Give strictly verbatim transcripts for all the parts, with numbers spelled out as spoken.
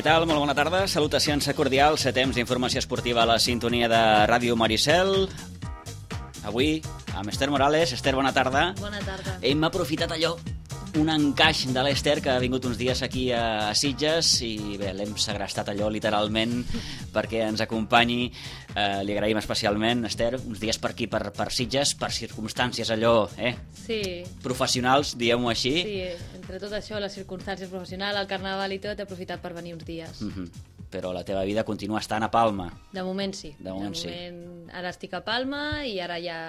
Què tal? Molt bona tarda. Salutacions cordials a temps d'informació esportiva a la sintonia de Ràdio Maricel. Avui, amb Esther Morales. Esther, bona tarda. Bona tarda. Hem aprofitat allò, un encaix de l'Esther que ha vingut uns dies aquí a Sitges i bé, l'hem segrestat allò literalment perquè ens acompanyi. Eh, li agraïm especialment, Esther, uns dies per aquí, per, per Sitges, per circumstàncies allò, eh? Sí. Professionals, diguem-ho així. Sí, entre tot això, les circumstàncies professionals, el carnaval i tot, he aprofitat per venir uns dies. Mm-hmm. Però la teva vida continua estant a Palma. De moment sí. De moment, de moment sí. Ara estic a Palma i ara ja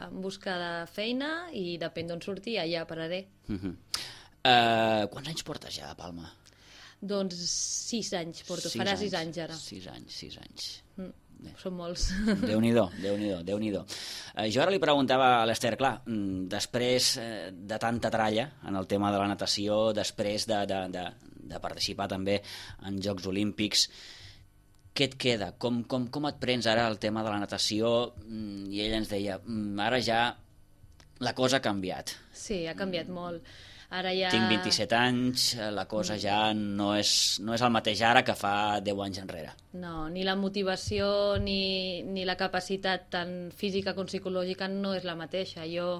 en busca de feina i depèn d'on surti, allà pararé. Mm-hmm. uh, quants anys portes ja a Palma? Doncs sis anys porto, sis farà anys. sis anys ara. Sis anys, sis anys. Mm. Són molts. Déu-n'hi-do, Déu-n'hi-do, Déu-n'hi-do. Uh, jo ara li preguntava a l'Esther, clar, després uh, de tanta tralla en el tema de la natació, després de, de, de, de participar també en Jocs Olímpics, què et queda? Com, com, com et prens ara el tema de la natació? Mm, I ella ens deia, mm, ara ja la cosa ha canviat. Sí, ha canviat molt. Ara ja... Tinc vint-i-set anys, la cosa ja no és, no és el mateix ara que fa deu anys enrere. No, ni la motivació ni, ni la capacitat tant física com psicològica no és la mateixa. Jo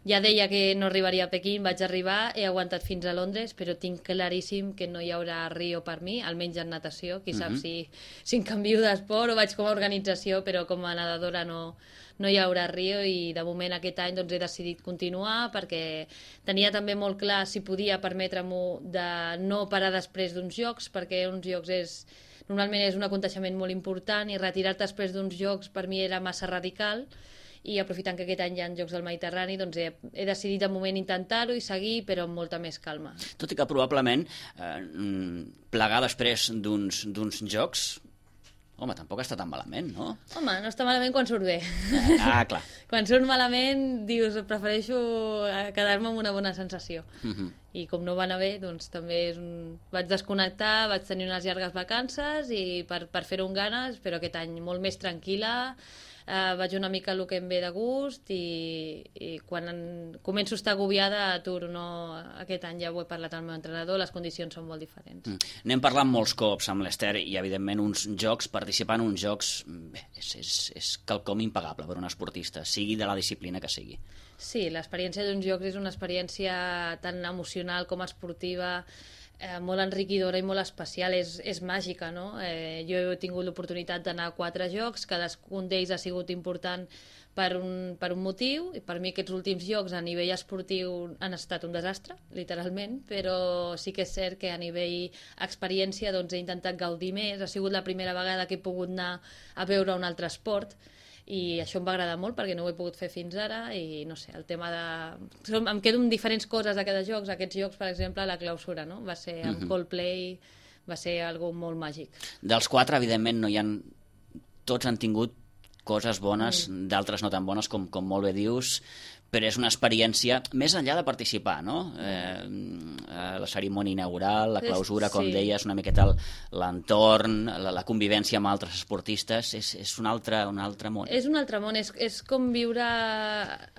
ja deia que no arribaria a Pequín, vaig arribar, he aguantat fins a Londres, però tinc claríssim que no hi haurà Rio per mi, almenys en natació. Qui sap mm-hmm. si, si em canvio d'esport o vaig com a organització, però com a nedadora no, no hi haurà Rio i de moment aquest any doncs, he decidit continuar perquè tenia també molt clar si podia permetre-m'ho de no parar després d'uns jocs, perquè uns jocs és... normalment és un aconteixement molt important i retirar-te després d'uns jocs per mi era massa radical i aprofitant que aquest any hi ha Jocs del Mediterrani doncs he, he decidit de moment intentar-ho i seguir però amb molta més calma. Tot i que probablement eh, plegar després d'uns, d'uns jocs, home, tampoc està tan malament, no? Home, no està malament quan surt bé. Ah, clar. Quan surt malament dius prefereixo quedar-me amb una bona sensació. Mm-hmm. I com no va anar bé, doncs també és un... vaig desconnectar, vaig tenir unes llargues vacances i per, per fer-ho amb ganes, però aquest any molt més tranquil·la. Uh, vaig una mica el que em ve de gust i, i quan en, començo a estar agobiada aturo, no, aquest any ja ho he parlat amb el meu entrenador, les condicions són molt diferents. Mm. N'hem parlat molts cops amb l'Esther i evidentment uns jocs, participar en uns jocs bé, és, és, és quelcom impagable per un esportista, sigui de la disciplina que sigui. Sí, l'experiència d'uns jocs és una experiència tan emocional com esportiva, Eh, molt enriquidora i molt especial, és, és màgica, no? Eh, jo he tingut l'oportunitat d'anar a quatre jocs, cadascun d'ells ha sigut important per un, per un motiu, i per mi aquests últims jocs a nivell esportiu han estat un desastre, literalment, però sí que és cert que a nivell experiència doncs, he intentat gaudir més, ha sigut la primera vegada que he pogut anar a veure un altre esport, i això em va agradar molt perquè no ho he pogut fer fins ara i no sé, el tema de... em quedo amb diferents coses de cada joc. Aquests jocs, per exemple, la clausura, no? Va ser amb mm-hmm. Coldplay, va ser algo molt màgic. Dels quatre, evidentment, no hi ha... tots han tingut coses bones, mm. d'altres no tan bones, com, com molt bé dius, però és una experiència, més enllà de participar, no? Eh, la cerimònia inaugural, la clausura, com sí. deies, una miqueta l'entorn, la, la convivència amb altres esportistes, és, és un, altre, un altre món. És un altre món, és, és com viure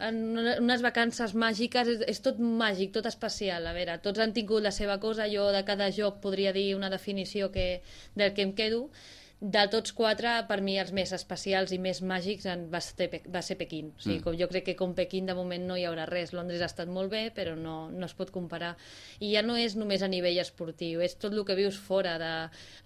en unes vacances màgiques, és, és tot màgic, tot especial. A veure, tots han tingut la seva cosa, jo de cada joc podria dir una definició que, del que em quedo. De tots quatre, per mi els més especials i més màgics va ser, va ser Pequín. O sigui, mm. com jo crec que com Pequín de moment no hi haurà res. Londres ha estat molt bé, però no, no es pot comparar. I ja no és només a nivell esportiu, és tot el que vius fora de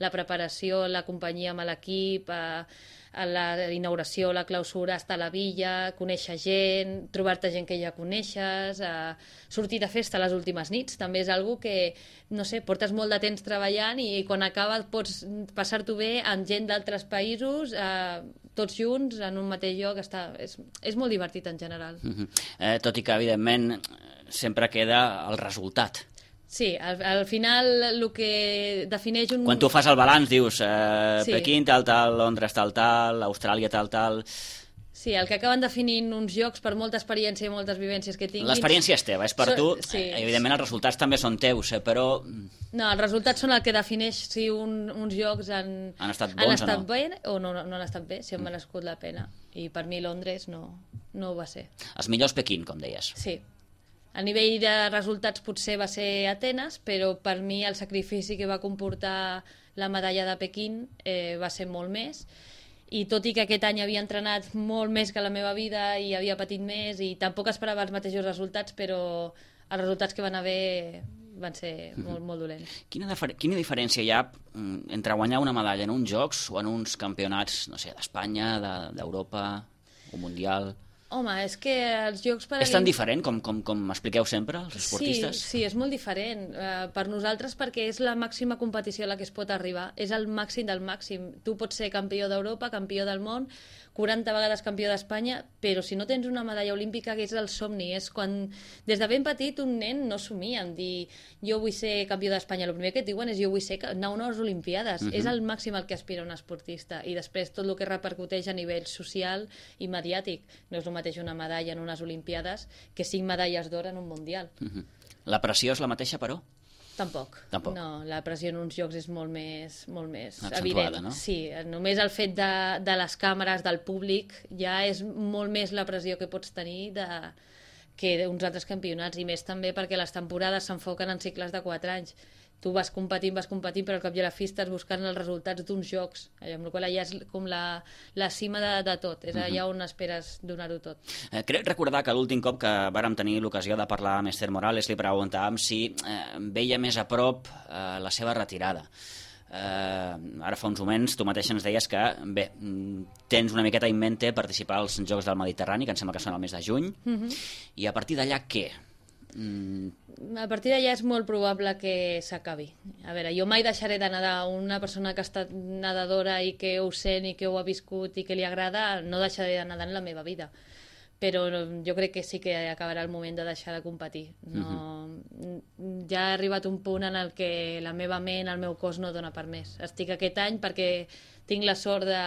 la preparació, la companyia amb l'equip, a, a la inauguració, la clausura, estar a la villa, conèixer gent, trobar-te gent que ja coneixes, a sortir de festa les últimes nits. També és algo que, no sé, portes molt de temps treballant i quan acaba pots passar-t'ho bé amb gent d'altres països, eh, tots junts en un mateix lloc, està, és, és molt divertit en general. Mm-hmm. eh, tot i que evidentment sempre queda el resultat. Sí, al, al final el que defineix un... Quan tu fas el balanç dius eh, sí. Pequín tal tal, Londres tal tal, Austràlia tal tal... Sí, el que acaben definint uns jocs per molta experiència i moltes vivències que tinguis... L'experiència és teva, és per so, tu. Sí. Evidentment els resultats també són teus, però... No, els resultats són el que defineix si un, uns jocs han, han estat bons han estat o no. bé o no, no, no han estat bé, si han merescut la pena. I per mi Londres no, no ho va ser. Els millors Pequín, com deies. Sí. A nivell de resultats potser va ser Atenes, però per mi el sacrifici que va comportar la medalla de Pequín eh, va ser molt més. I tot i que aquest any havia entrenat molt més que la meva vida i havia patit més i tampoc esperava els mateixos resultats, però els resultats que van haver van ser molt, molt dolents. Quina, difer quina diferència hi ha entre guanyar una medalla en uns Jocs o en uns campionats, no sé, d'Espanya, d'Europa o Mundial? Home, és que els Jocs Paralímpics... És tan diferent com, com, com expliqueu sempre, els esportistes? Sí, sí, és molt diferent. Uh, per nosaltres, perquè és la màxima competició a la que es pot arribar. És el màxim del màxim. Tu pots ser campió d'Europa, campió del món, quaranta vegades campió d'Espanya, però si no tens una medalla olímpica, que és el somni. És quan, des de ben petit, un nen no somia en dir jo vull ser campió d'Espanya. El primer que et diuen és jo vull ser anar a unes Olimpiades. Uh-huh. És el màxim al que aspira un esportista. I després tot el que repercuteix a nivell social i mediàtic. No és el mateix una medalla en unes Olimpiades que cinc medalles d'or en un Mundial. Uh-huh. La pressió és la mateixa, però? Tampoc. Tampoc. No, la pressió en uns jocs és molt més, molt més accentuada, evident. No? Sí, només el fet de, de les càmeres, del públic, ja és molt més la pressió que pots tenir de, que uns altres campionats, i més també perquè les temporades s'enfoquen en cicles de quatre anys. Tu vas competint, vas competint, però al cap i a la fi estàs buscant els resultats d'uns jocs, amb la qual allà és com la, la cima de, de tot, és allà on esperes donar-ho tot. Eh, crec recordar que l'últim cop que vàrem tenir l'ocasió de parlar amb Esther Morales li preguntàvem si eh, veia més a prop eh, la seva retirada. Eh, ara fa uns moments tu mateix ens deies que bé, tens una miqueta en mente participar als Jocs del Mediterrani, que em sembla que són el mes de juny, uh-huh. I a partir d'allà què? Mm. A partir d'allà és molt probable que s'acabi. A veure, jo mai deixaré de nedar. Una persona que ha estat nedadora i que ho sent i que ho ha viscut i que li agrada, no deixaré de nedar en la meva vida. Però jo crec que sí que acabarà el moment de deixar de competir. No, uh-huh. Ja ha arribat un punt en el que la meva ment, el meu cos no dona per més. Estic aquest any perquè tinc la sort de,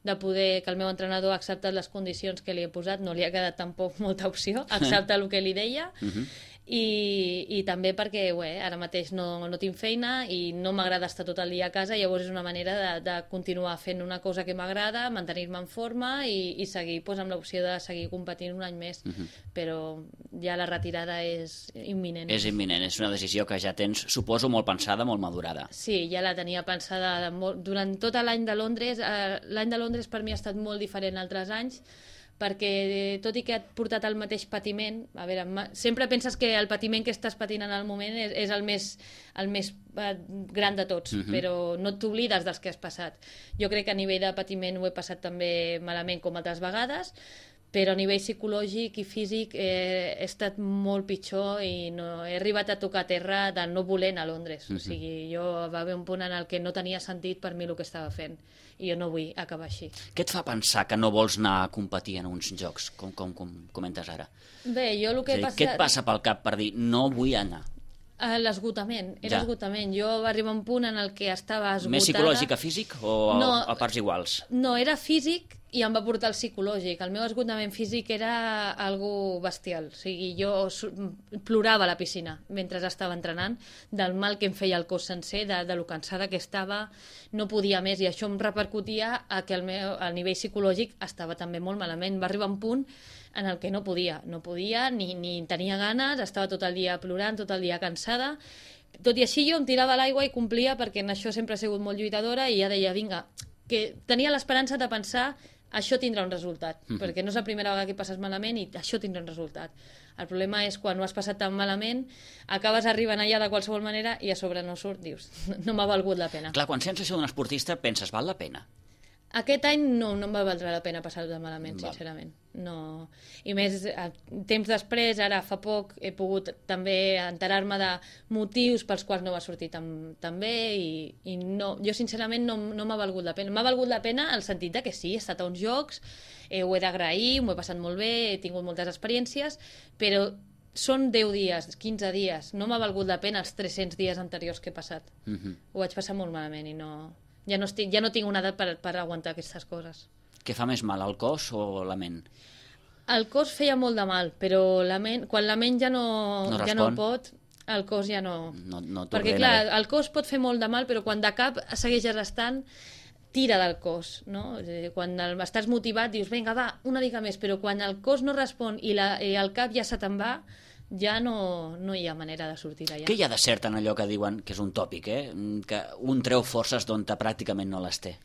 de poder, que el meu entrenador ha acceptat les condicions que li he posat, no li ha quedat tampoc molta opció, accepta el que li deia, uh-huh. I, i també perquè ué, ara mateix no, no tinc feina i no m'agrada estar tot el dia a casa, llavors és una manera de, de continuar fent una cosa que m'agrada, mantenir-me en forma i, i seguir pues, amb l'opció de seguir competint un any més, uh-huh. Però ja la retirada és imminent. És imminent, és una decisió que ja tens, suposo, molt pensada, molt madurada. Sí, ja la tenia pensada de molt... durant tot l'any de Londres. Eh, l'any de Londres per mi ha estat molt diferent altres anys, perquè tot i que ha portat el mateix patiment, a veure, sempre penses que el patiment que estàs patint en el moment és, és el més, el més eh, gran de tots, uh-huh. Però no t'oblides dels que has passat. Jo crec que a nivell de patiment ho he passat també malament com altres vegades, però a nivell psicològic i físic eh, he estat molt pitjor i no, he arribat a tocar terra de no voler anar a Londres. Uh-huh. O sigui, jo va haver un punt en el que no tenia sentit per mi el que estava fent i jo no vull acabar així. Què et fa pensar que no vols anar a competir en uns jocs, com, com, com comentes ara? Bé, jo el que dir, he passat... Què et passa pel cap per dir no vull anar? L'esgotament, era ja. esgotament. Jo va arribar un punt en el que estava esgotada... Més psicològic que físic o no, a parts iguals? No, era físic i em va portar el psicològic. El meu esgotament físic era algo bestial. O sigui, jo plorava a la piscina mentre estava entrenant, del mal que em feia el cos sencer, de, de lo cansada que estava, no podia més, i això em repercutia a que el meu, a nivell psicològic estava també molt malament. Va arribar un punt en el que no podia, no podia, ni, ni tenia ganes, estava tot el dia plorant, tot el dia cansada. Tot i així jo em tirava a l'aigua i complia, perquè en això sempre he sigut molt lluitadora, i ja deia, vinga, que tenia l'esperança de pensar això tindrà un resultat, mm-hmm. perquè no és la primera vegada que passes malament i això tindrà un resultat. El problema és quan ho has passat tan malament, acabes arribant allà de qualsevol manera i a sobre no surt, dius, no m'ha valgut la pena. Clar, quan sents això d'un esportista penses, val la pena? Aquest any no, no em va valdre la pena passar-ho malament, Val. sincerament. No. I més, temps després, ara fa poc, he pogut també enterar-me de motius pels quals no va sortir tan, tan bé i, i no, jo sincerament no, no m'ha valgut la pena. M'ha valgut la pena el sentit de que sí, he estat a uns jocs, eh, ho he d'agrair, m'ho he passat molt bé, he tingut moltes experiències, però són deu dies, quinze dies, no m'ha valgut la pena els tres-cents dies anteriors que he passat. Uh-huh. Ho vaig passar molt malament i no... Ja no, estic, ja no tinc una edat per, per aguantar aquestes coses. Què fa més mal, el cos o la ment? El cos feia molt de mal, però la ment, quan la ment ja no, no, ja no pot, el cos ja no... no, no Perquè, clar, bé. El cos pot fer molt de mal, però quan de cap segueixes estant, tira del cos, no? Quan el, estàs motivat, dius, vinga, va, una mica més, però quan el cos no respon i, la, i el cap ja se te'n va, ja no, no hi ha manera de sortir d'allà. Què hi ha de cert en allò que diuen, que és un tòpic, eh? Que un treu forces d'on pràcticament no les té?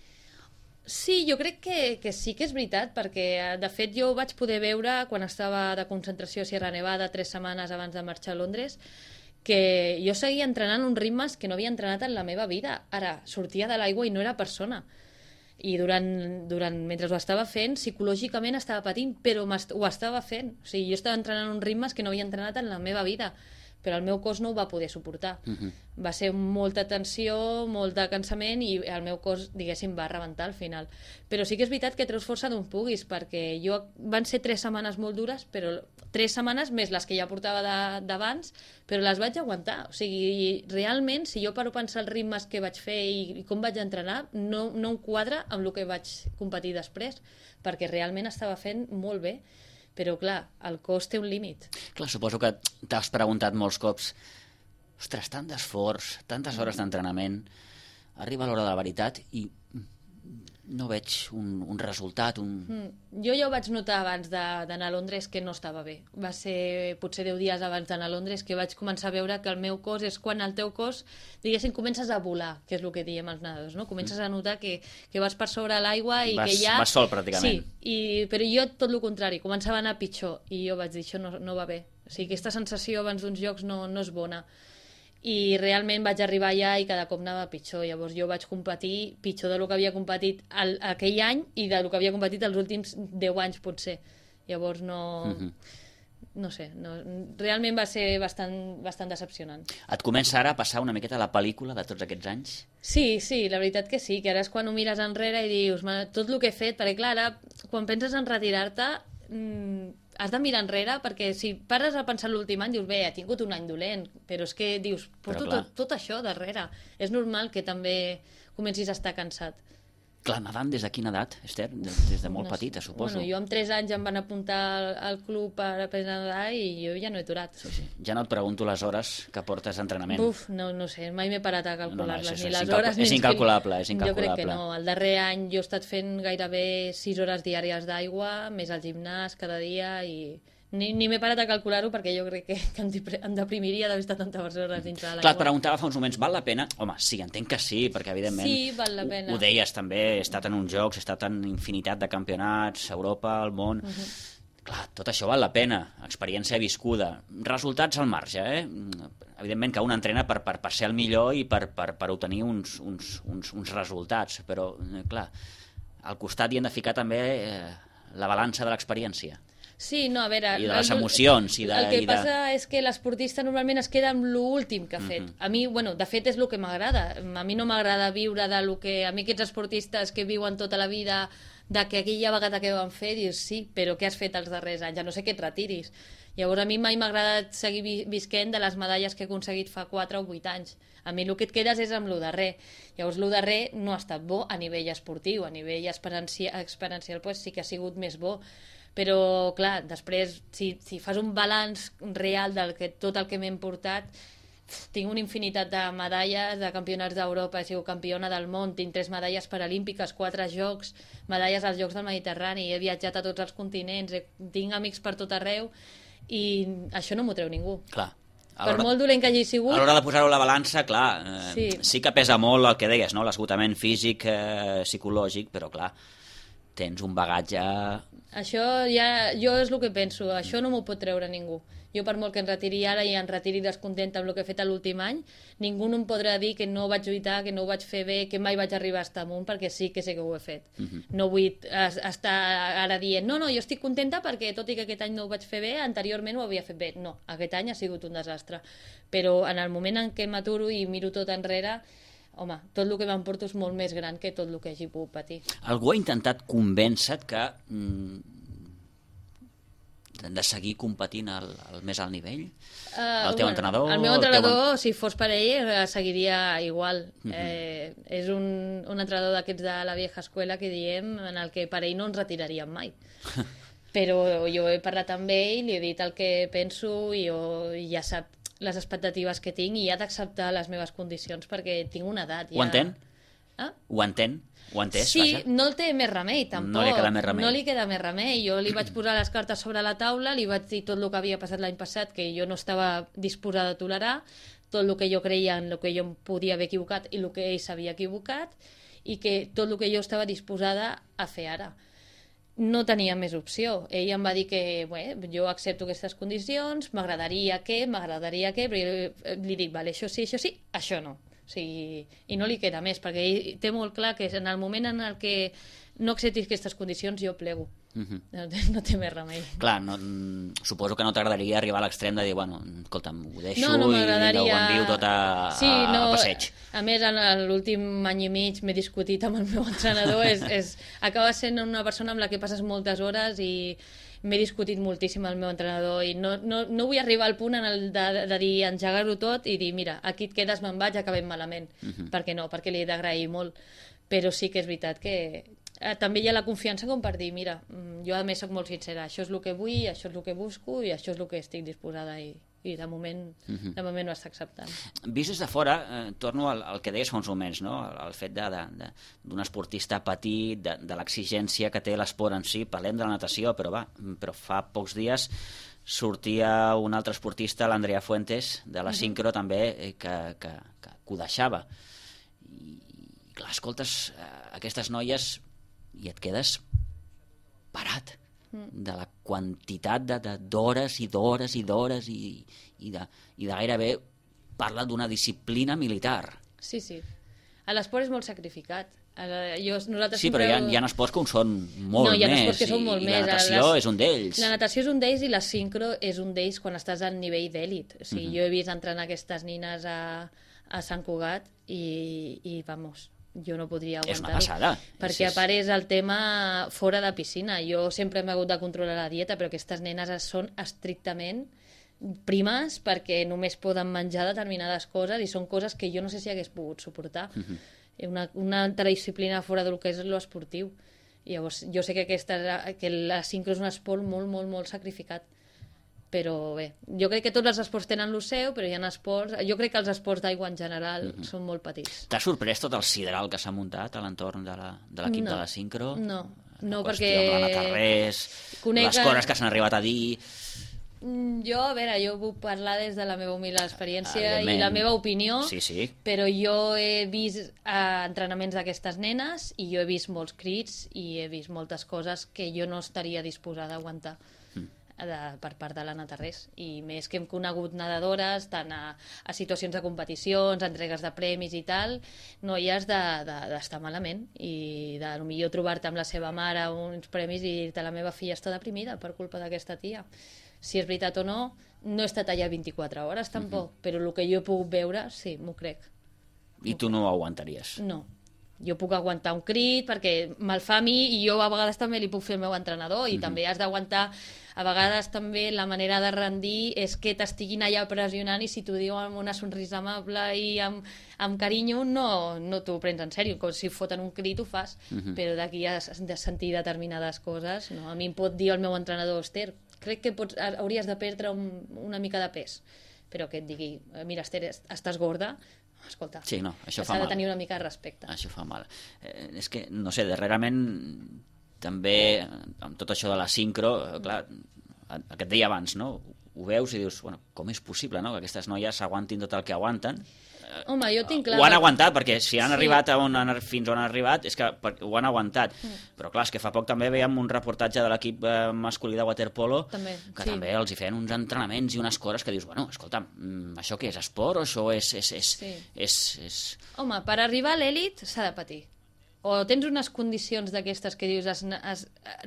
Sí, jo crec que, que sí que és veritat, perquè de fet jo ho vaig poder veure quan estava de concentració a Sierra Nevada tres setmanes abans de marxar a Londres, que jo seguia entrenant uns ritmes que no havia entrenat en la meva vida. Ara, sortia de l'aigua i no era persona. I durant, durant, mentre ho estava fent, psicològicament estava patint, però ho estava fent. O sigui, jo estava entrenant uns ritmes que no havia entrenat en la meva vida, però el meu cos no ho va poder suportar. Uh-huh. Va ser molta tensió, molt de cansament, i el meu cos, diguéssim, va rebentar al final. Però sí que és veritat que treus força d'on puguis, perquè jo van ser tres setmanes molt dures, però tres setmanes més les que ja portava d'abans, però les vaig aguantar. O sigui, realment, si jo paro a pensar els ritmes que vaig fer i, i com vaig entrenar, no, no em quadra amb el que vaig competir després, perquè realment estava fent molt bé. Però, clar, el cos té un límit. Clar, suposo que t'has preguntat molts cops, ostres, tant d'esforç, tantes hores d'entrenament, arriba l'hora de la veritat i no veig un, un resultat, un... Mm. Jo ja ho vaig notar abans d'anar a Londres que no estava bé. Va ser potser deu dies abans d'anar a Londres que vaig començar a veure que el meu cos és quan el teu cos, diguéssim, comences a volar, que és el que diem els nedadors, no? Comences a notar que, que vas per sobre l'aigua i vas, que ja... Vas sol, pràcticament. Sí, i, però jo tot el contrari, començava a anar pitjor i jo vaig dir, això no, no va bé. O sigui, aquesta sensació abans d'uns jocs no, no és bona. I realment vaig arribar allà i cada cop anava pitjor. Llavors jo vaig competir pitjor del que havia competit el, aquell any i del que havia competit els últims deu anys, potser. Llavors no... Uh-huh. No sé, no, realment va ser bastant, bastant decepcionant. Et comença ara a passar una miqueta la pel·lícula de tots aquests anys? Sí, sí, la veritat que sí, que ara és quan ho mires enrere i dius, tot el que he fet, perquè clar, ara, quan penses en retirar-te, mmm, has de mirar enrere, perquè si pares a pensar l'últim any, dius, bé, ha tingut un any dolent, però és que dius, porto tot, tot això darrere. És normal que també comencis a estar cansat. Clar, nedant des de quina edat, Esther? Des, des de molt no, petita, suposo. Bueno, jo amb tres anys em van apuntar al, al club per aprendre a nedar i jo ja no he aturat. Sí, sí. Ja no et pregunto les hores que portes d'entrenament. Uf, no, no sé, mai m'he parat a calcular-les, no, no, ni les hores... És incalculable, és incalculable. Jo crec que no. El darrer any jo he estat fent gairebé sis hores diàries d'aigua, més al gimnàs cada dia i... Ni, ni m'he parat a calcular-ho perquè jo crec que, que em deprimiria d'haver estat tantes hores dintre de l'aigua. Clar, et preguntava fa uns moments, val la pena? Home, sí, entenc que sí, perquè evidentment sí, val la pena. Ho, ho deies també, he estat en uns jocs, he estat en infinitat de campionats, Europa, el món... Uh -huh. Clar, tot això val la pena, experiència viscuda, resultats al marge, eh? Evidentment que un entrena per, per, per ser el millor i per, per, per obtenir uns, uns, uns, uns resultats, però, clar, al costat hi hem de ficar també eh, la balança de l'experiència. Sí, no, a veure... I de les emocions. I de, el que i de... passa és que l'esportista normalment es queda amb l'últim que ha fet. Uh-huh. A mi, bueno, de fet és el que m'agrada. A mi no m'agrada viure de lo que... A mi aquests esportistes que viuen tota la vida de que aquella vegada que van fer, dius, sí, però què has fet els darrers anys? Ja no sé que et retiris. Llavors a mi mai m'ha agradat seguir visquent de les medalles que he aconseguit fa quatre o vuit anys. A mi el que et quedes és amb lo darrer. Llavors lo darrer no ha estat bo a nivell esportiu, a nivell experiencial, experiencial pues, sí que ha sigut més bo. Però, clar, després, si, si fas un balanç real del que tot el que m'he portat, tinc una infinitat de medalles, de campionats d'Europa, he sigut campiona del món, tinc tres medalles paralímpiques, quatre jocs, medalles als Jocs del Mediterrani, he viatjat a tots els continents, he, tinc amics per tot arreu, i això no m'ho treu ningú. Clar. Per molt dolent que hagi sigut... A l'hora de posar-ho a la balança, clar, eh, sí. sí que pesa molt el que deies, no? L'esgotament físic, eh, psicològic, però clar, tens un bagatge... Això ja, jo és el que penso, això no m'ho pot treure ningú. Jo per molt que em retiri ara i em retiri descontenta amb el que he fet l'últim any, ningú no em podrà dir que no vaig lluitar, que no ho vaig fer bé, que mai vaig arribar a estar amunt, perquè sí que sé que ho he fet. Uh -huh. No vull estar ara dient, no, no, jo estic contenta perquè tot i que aquest any no ho vaig fer bé, anteriorment ho havia fet bé. No, aquest any ha sigut un desastre. Però en el moment en què m'aturo i miro tot enrere, home, tot el que m'emporto és molt més gran que tot el que hagi pogut patir. Algú ha intentat convèncer que mm, de seguir competint al, al més alt nivell? Uh, el teu bueno, entrenador? El meu entrenador, teu... si fos per ell, seguiria igual. Uh -huh. eh, és un, un entrenador d'aquests de la vieja escuela que diem, en el que per ell no ens retiraríem mai. Però jo he parlat amb ell, li he dit el que penso i jo, ja sap les expectatives que tinc i ha d'acceptar les meves condicions perquè tinc una edat. Ja... Ho entén? Ah? Ho entén? Ho ha entès, sí, vaja? no el té més remei, tampoc. No li queda més remei. No li queda més remei. Jo li vaig posar les cartes sobre la taula, li vaig dir tot el que havia passat l'any passat, que jo no estava disposada a tolerar, tot el que jo creia en el que jo em podia haver equivocat i el que ell s'havia equivocat, i que tot el que jo estava disposada a fer ara. No tenia més opció. Ell em va dir que bé, jo accepto aquestes condicions, m'agradaria que, m'agradaria que, però jo li dic, vale, això sí, això sí, això no. O sigui, i no li queda més, perquè ell té molt clar que en el moment en el que no acceptis aquestes condicions, jo plego. Uh-huh. no, no té més remei. Clar, no, suposo que no t'agradaria arribar a l'extrem de dir, bueno, escolta'm, ho deixo no, no i vinga, ho envio tot a, sí, no, a passeig. A més, en l'últim any i mig m'he discutit amb el meu entrenador, és, és, acaba sent una persona amb la que passes moltes hores i m'he discutit moltíssim amb el meu entrenador i no, no, no vull arribar al punt en el de, de dir engegar-ho tot i dir, mira, aquí et quedes, me'n vaig, acabem malament. Uh-huh. Per què no? Perquè li he d'agrair molt. Però sí que és veritat que eh, també hi ha la confiança com per dir, mira, jo a més soc molt sincera, això és el que vull, això és el que busco i això és el que estic disposada i, i de moment, uh-huh. de moment ho està acceptant. Vist des de fora, eh, torno al, al que deies fa uns moments, no? el, el fet d'un esportista petit, de, de l'exigència que té l'esport en si, parlem de la natació, però va, però fa pocs dies sortia un altre esportista, l'Andrea Fuentes, de la sincro uh-huh. també, eh, que, que, que, que ho deixava. I, i clar, escoltes eh, aquestes noies i et quedes parat de la quantitat d'hores i d'hores i d'hores i, i, de, i de gairebé parla d'una disciplina militar. Sí, sí. L'esport és molt sacrificat. Jo, nosaltres sí, però hi ha, hi ha esports que ho són molt no, hi ha més, esports que són molt i, més. i la natació les... és un d'ells. La natació és un d'ells i la sincro és un d'ells quan estàs al nivell d'èlit. O sigui, uh-huh. Jo he vist entrenar aquestes nines a, a Sant Cugat i, i vamos, jo no podria aguantar-ho. És una passada. Perquè a part és el tema fora de piscina. Jo sempre m'he hagut de controlar la dieta, però aquestes nenes són estrictament primes perquè només poden menjar determinades coses i són coses que jo no sé si hagués pogut suportar. Uh-huh. Una, una altra disciplina fora del que és l'esportiu. Llavors, jo sé que, aquesta, que la sincro és un esport molt, molt, molt sacrificat. Però bé, jo crec que tots els esports tenen el seu, però hi ha esports... Jo crec que els esports d'aigua en general uh-huh. són molt petits. T'ha sorprès tot el sideral que s'ha muntat a l'entorn de l'equip de, de la sincro? No, no, la perquè... La Natarrés, conec... les coses que s'han arribat a dir... Jo, a veure, jo puc parlar des de la meva humil experiència i la meva opinió, sí, sí. Però jo he vist eh, entrenaments d'aquestes nenes i jo he vist molts crits i he vist moltes coses que jo no estaria disposada a aguantar. De, per part de la Natarrés, i més que hem conegut nedadores tant a, a situacions de competicions, entregues de premis i tal, noies d'estar de, de, malament i de millor trobar-te amb la seva mare uns premis i dir-te la meva filla està deprimida per culpa d'aquesta tia. Si és veritat o no, no he estat allà vint-i-quatre hores tampoc, uh-huh. però el que jo he pogut veure, sí, m'ho crec. I tu no ho aguantaries? No. Jo puc aguantar un crit perquè me'l fa a mi i jo a vegades també li puc fer al meu entrenador i uh-huh. també has d'aguantar, a vegades també la manera de rendir és que t'estiguin allà pressionant i si t'ho diu amb una sonrisa amable i amb, amb carinyo no, no t'ho prens en sèrio, com si foten un crit ho fas, uh-huh. però d'aquí has de sentir determinades coses, no? A mi em pot dir el meu entrenador, Esther, crec que pots, hauries de perdre un, una mica de pes, però que et digui, mira Esther, estàs gorda, escolta, sí, no, això s'ha de tenir una mica de respecte. Això fa mal. Eh, és que, no sé, darrerament també, amb tot això de la sincro, clar, el que et deia abans, no? Ho veus i dius, bueno, com és possible, no?, que aquestes noies aguantin tot el que aguanten. Home, jo tinc clar... Ho han aguantat, perquè si han sí. arribat a on han, fins on han arribat és que ho han aguantat. Mm. Però clar, és que fa poc també veiem un reportatge de l'equip eh, masculí de waterpolo també, que sí. també els hi feien uns entrenaments i unes coses que dius, bueno, escolta'm, això què és, esport o això és... és, és, sí. és, és... Home, per arribar a l'èlit s'ha de patir. O tens unes condicions d'aquestes que dius es, es,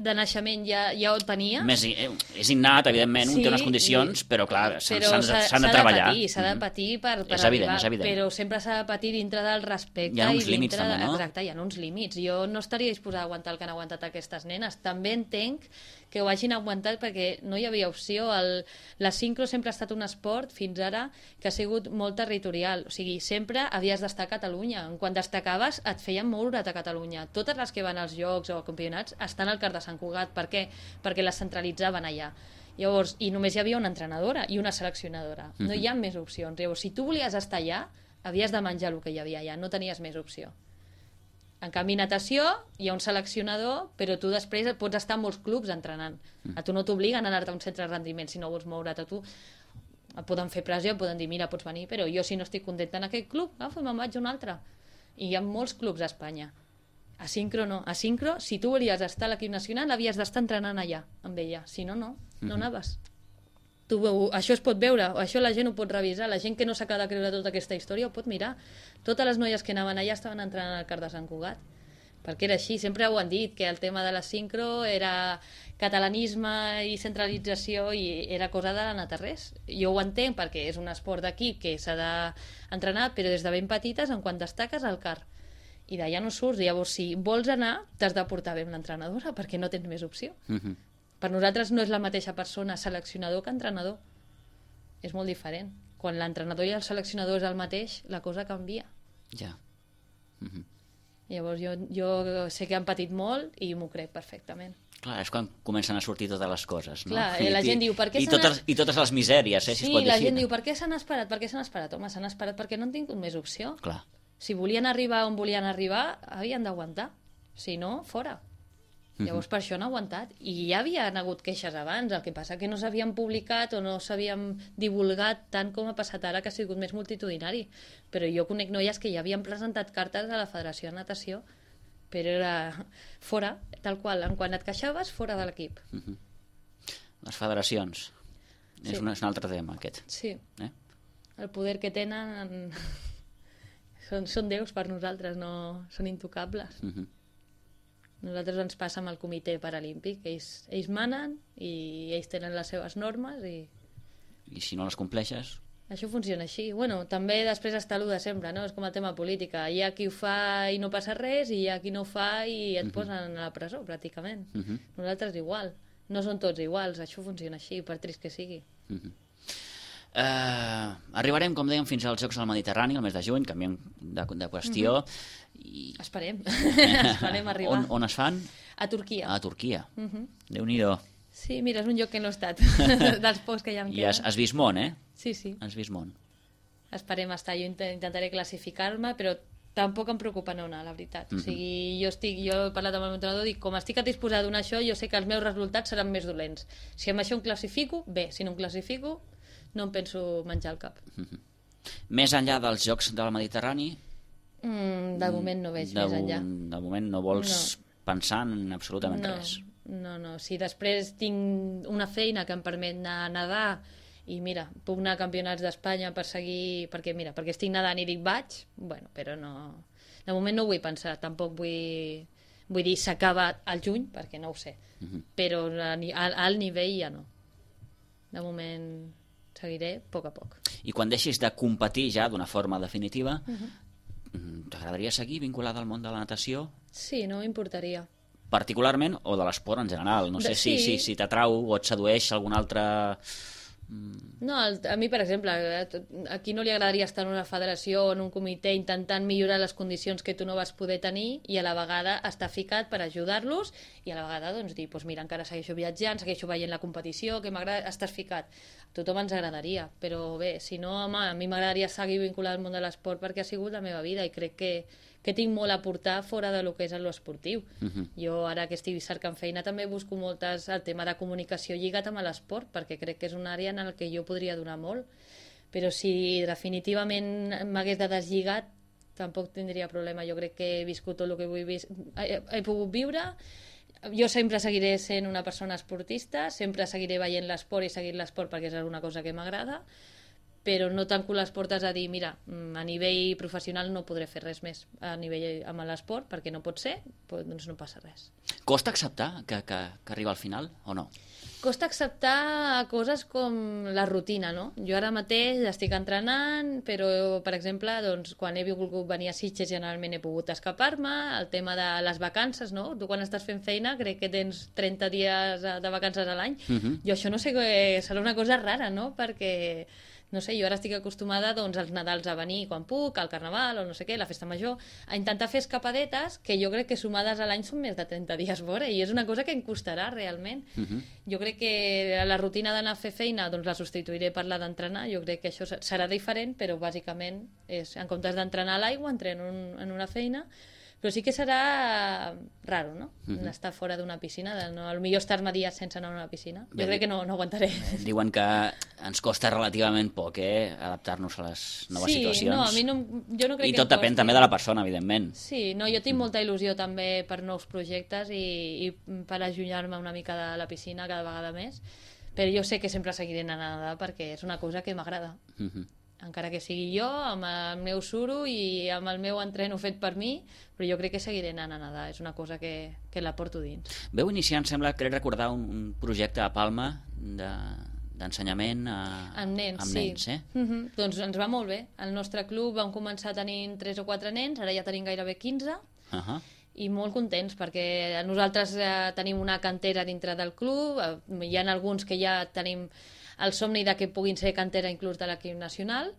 de naixement ja, ja ho tenies... Més, és innat, evidentment, sí, un té unes condicions, però clar, s'han de, de treballar. S'ha de patir per, per és evident, arribar, és evident. Però sempre s'ha de patir dintre del respecte. Hi ha uns i límits dintre també, no? Exacte, hi ha uns límits. Jo no estaria disposada a aguantar el que han aguantat aquestes nenes. També entenc que ho hagin aguantat perquè no hi havia opció. El, la sincro sempre ha estat un esport, fins ara, que ha sigut molt territorial. O sigui, sempre havies d'estar a Catalunya. Quan destacaves, et feien moure't a Catalunya. Totes les que van als jocs o a campionats estan al Car de Sant Cugat. Per què? Perquè les centralitzaven allà. Llavors, i només hi havia una entrenadora i una seleccionadora. No hi ha més opcions. Llavors, si tu volies estar allà, havies de menjar el que hi havia allà. No tenies més opció. En canvi, natació, hi ha un seleccionador, però tu després pots estar en molts clubs entrenant. A tu no t'obliguen a anar-te a un centre de rendiment si no vols moure't a tu. Et poden fer pressió, et poden dir, mira, pots venir, però jo si no estic contenta en aquest club, agafo i me'n vaig a un altre. I hi ha molts clubs a Espanya. A sincro no. A sincro, si tu volies estar a l'equip nacional, havies d'estar entrenant allà, amb ella. Si no, no. No anaves. Tu, això es pot veure, això la gent ho pot revisar, la gent que no s'acaba de creure tota aquesta història ho pot mirar. Totes les noies que anaven allà estaven entrenant al CAR de Sant Cugat, perquè era així, sempre ho han dit, que el tema de la sincro era catalanisme i centralització i era cosa de la natarrés. Jo ho entenc perquè és un esport d'equip que s'ha d'entrenar, però des de ben petites, en quan destaques al CAR, i d'allà no surts. Llavors, si vols anar, t'has de portar bé amb l'entrenadora, perquè no tens més opció. Uh-huh. Per nosaltres no és la mateixa persona seleccionador que entrenador. És molt diferent. Quan l'entrenador i el seleccionador és el mateix, la cosa canvia. Ja. Uh-huh. Llavors jo, jo sé que han patit molt i m'ho crec perfectament. Clar, és quan comencen a sortir totes les coses, no? Clar, I, la gent diu, per què i, s'han... totes, I totes les misèries, eh, si sí, es pot dir la així. gent diu, per què s'han esperat? Per què s'han esperat? Home, s'han esperat perquè no han tingut més opció. Clar. Si volien arribar on volien arribar, havien d'aguantar. Si no, fora. Llavors per això han aguantat. I ja havia hagut queixes abans, el que passa que no s'havien publicat o no s'havien divulgat tant com ha passat ara, que ha sigut més multitudinari. Però jo conec noies que ja havien presentat cartes a la Federació de Natació, però era fora, tal qual, en quan et queixaves, fora de l'equip. Uh -huh. Les federacions. Sí. És, un, és un altre tema, aquest. Sí. Eh? El poder que tenen són, són déus per nosaltres, no són intocables. Uh -huh. Nosaltres ens passa amb el comitè paralímpic, ells, ells manen i ells tenen les seves normes i... I si no les compleixes? Això funciona així. Bueno, també després està l'u de sempre, no? És com el tema política. Hi ha qui ho fa i no passa res i hi ha qui no ho fa i et uh -huh. posen a la presó, pràcticament. Uh -huh. Nosaltres igual. No són tots iguals, això funciona així, per trist que sigui. Uh -huh. Uh, arribarem, com dèiem, fins als Jocs del Mediterrani el mes de juny, canviem de, de qüestió. Uh -huh. I... Esperem. Esperem arribar. On, on es fan? A Turquia. A Turquia. Uh -huh. Déu-n'hi-do. Sí, mira, és un lloc que no he estat, dels pocs que ja em queden. I has, has vist món, eh? Sí, sí. Has vist món. Esperem estar. Jo intentaré classificar-me, però tampoc em preocupa no anar, la veritat. Uh -huh. O sigui, jo, estic, jo he parlat amb el meu entrenador, dic, com estic disposada a donar això, jo sé que els meus resultats seran més dolents. Si amb això em classifico, bé. Si no em classifico, no em penso menjar el cap. Uh -huh. Més enllà dels Jocs del Mediterrani? Mm, de moment no veig de, més enllà. De moment no vols no. pensar en absolutament no, res? No, no. Si després tinc una feina que em permet anar a nedar i mira, puc anar a campionats d'Espanya per seguir, perquè mira, perquè estic nedant i dic vaig, bueno, però no... De moment no ho vull pensar, tampoc vull, vull dir s'acaba al juny, perquè no ho sé. Uh -huh. Però al, al nivell ja no. De moment seguiré a poc a poc. I quan deixis de competir ja d'una forma definitiva, uh -huh. t'agradaria seguir vinculada al món de la natació? Sí, no m'importaria. Particularment o de l'esport en general? No sé de, si, sí. si, si t'atrau o et sedueix algun altre... No, a mi, per exemple, a qui no li agradaria estar en una federació o en un comitè intentant millorar les condicions que tu no vas poder tenir i a la vegada estar ficat per ajudar-los i a la vegada doncs, dir, doncs mira, encara segueixo viatjant, segueixo veient la competició, que m'agrada, estàs ficat. A tothom ens agradaria, però bé, si no, home, a mi m'agradaria seguir vinculat al món de l'esport perquè ha sigut la meva vida i crec que que tinc molt a aportar fora de lo que és l'esportiu. Uh -huh. Jo ara que estic cercant feina també busco moltes el tema de comunicació lligat amb l'esport perquè crec que és una àrea en la que jo podria donar molt, però si definitivament m'hagués de deslligat tampoc tindria problema. Jo crec que he viscut tot el que vull vis... he, he pogut viure. Jo sempre seguiré sent una persona esportista, sempre seguiré veient l'esport i seguir l'esport perquè és una cosa que m'agrada, però no tanco les portes a dir, mira, a nivell professional no podré fer res més a nivell amb l'esport, perquè no pot ser, doncs no passa res. Costa acceptar que, que, que arriba al final, o no? Costa acceptar coses com la rutina, no? Jo ara mateix estic entrenant, però, per exemple, doncs, quan he volgut venir a Sitges generalment he pogut escapar-me, el tema de les vacances, no? Tu quan estàs fent feina crec que tens trenta dies de vacances a l'any. Uh-huh. Jo això no sé, serà una cosa rara, no? Perquè... no sé, jo ara estic acostumada doncs, als Nadals a venir quan puc, al Carnaval o no sé què, la Festa Major, a intentar fer escapadetes que jo crec que sumades a l'any són més de trenta dies fora i és una cosa que em costarà realment. Uh -huh. Jo crec que la rutina d'anar a fer feina doncs la substituiré per la d'entrenar, jo crec que això serà diferent, però bàsicament és, en comptes d'entrenar a l'aigua entreno en, en una feina, Però sí que serà raro, no? Mhm. Estar fora d'una piscina, de no, potser estar-me dies sense anar a una piscina. Bé, Jo crec que no, no aguantaré. Diuen que ens costa relativament poc, eh, adaptar-nos a les noves sí, situacions. no, a mi no, jo no crec I que tot em depèn costi. també de la persona, evidentment. Sí, no, jo tinc molta il·lusió també per nous projectes i, i per allunyar-me una mica de la piscina cada vegada més, però jo sé que sempre seguiré anant a nedar perquè és una cosa que m'agrada. Mhm. Encara que sigui jo, amb el meu suro i amb el meu entreno fet per mi, però jo crec que seguiré anant a nedar, és una cosa que, que la porto dins. Veu iniciar, em sembla, crec recordar un, un projecte a Palma de, d'ensenyament a, Amb nens, amb sí. nens, eh? Uh -huh. Doncs ens va molt bé. Al nostre club vam començar tenint tres o quatre nens, ara ja tenim gairebé quinze, Uh -huh. i molt contents perquè nosaltres eh, tenim una cantera dintre del club, eh, hi ha alguns que ja tenim el somni de que puguin ser cantera inclús de l'equip nacional,